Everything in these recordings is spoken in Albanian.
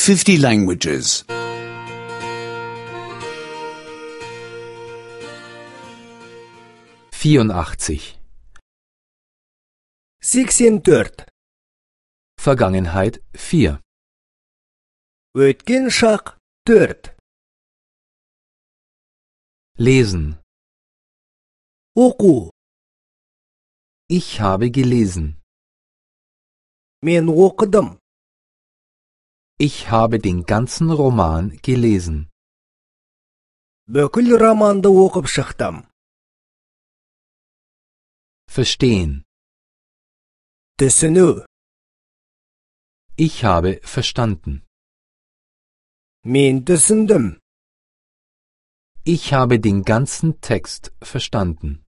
50 languages. 84. 84. Vergangenheit 4. Өткен шақ 4. Lesen. Оқу. Ich habe gelesen. Мен оқыдым. Ich habe den ganzen Roman gelesen. Бүкіл романды оқып шықтым. Verstehen. Түсіну. Ich habe verstanden. Мен түсіндім. Ich habe den ganzen Text verstanden.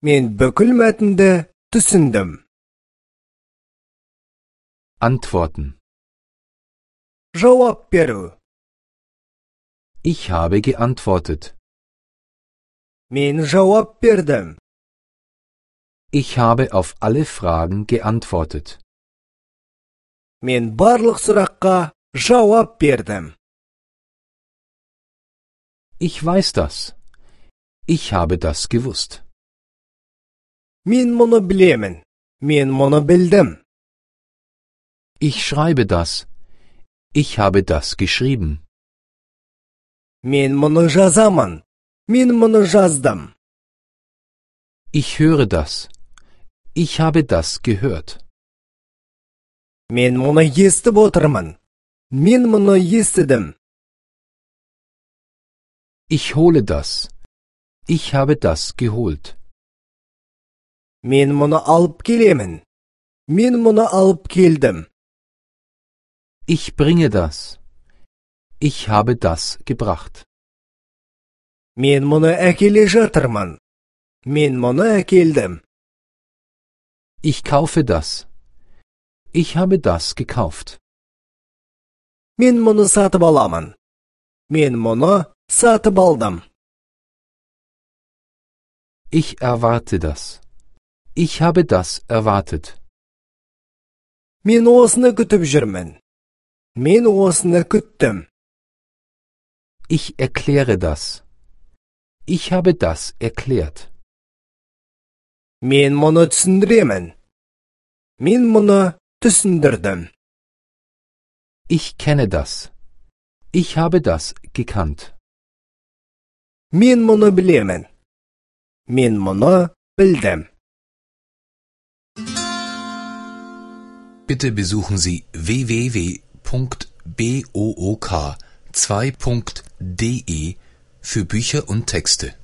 Мен бүкіл мәтінді түсіндім. Antworten. Жауап беру. Ich habe geantwortet. Мен жауап бердім. Ich habe auf alle Fragen geantwortet. Мен барлық сұраққа жауап бердім. Ich weiß das. Ich habe das gewusst. Мен мұны білемін. Мен мұны білдім. Ich schreibe das. Ich habe das geschrieben. Мен мұны жазамын. Мен мұны жаздым. Ich höre das. Ich habe das gehört. Мен мұны естіп отырмын. Мен мұны естідім. Ich hole das. Ich habe das geholt. Мен мұны алып келемін. Мен мұны алып келдім. Ich bringe das. Ich habe das gebracht. Мен мұны әкеле жатырмын. Мен мұны әкелдім. Ich kaufe das. Ich habe das gekauft. Мен мұны сатып аламын. Мен мұны сатып алдым. Ich erwarte das. Ich habe das erwartet. Мен осыны күтіп жүрмін. Мен осыны күттім. Ich erkläre das. Ich habe das erklärt. Мен мұны түсіндіремін. Мен мұны түсіндірдім. Ich kenne das. Ich habe das gekannt. Мен мұны білемін. Мен мұны білдім. Bitte besuchen Sie www.book2.de für Bücher und Texte.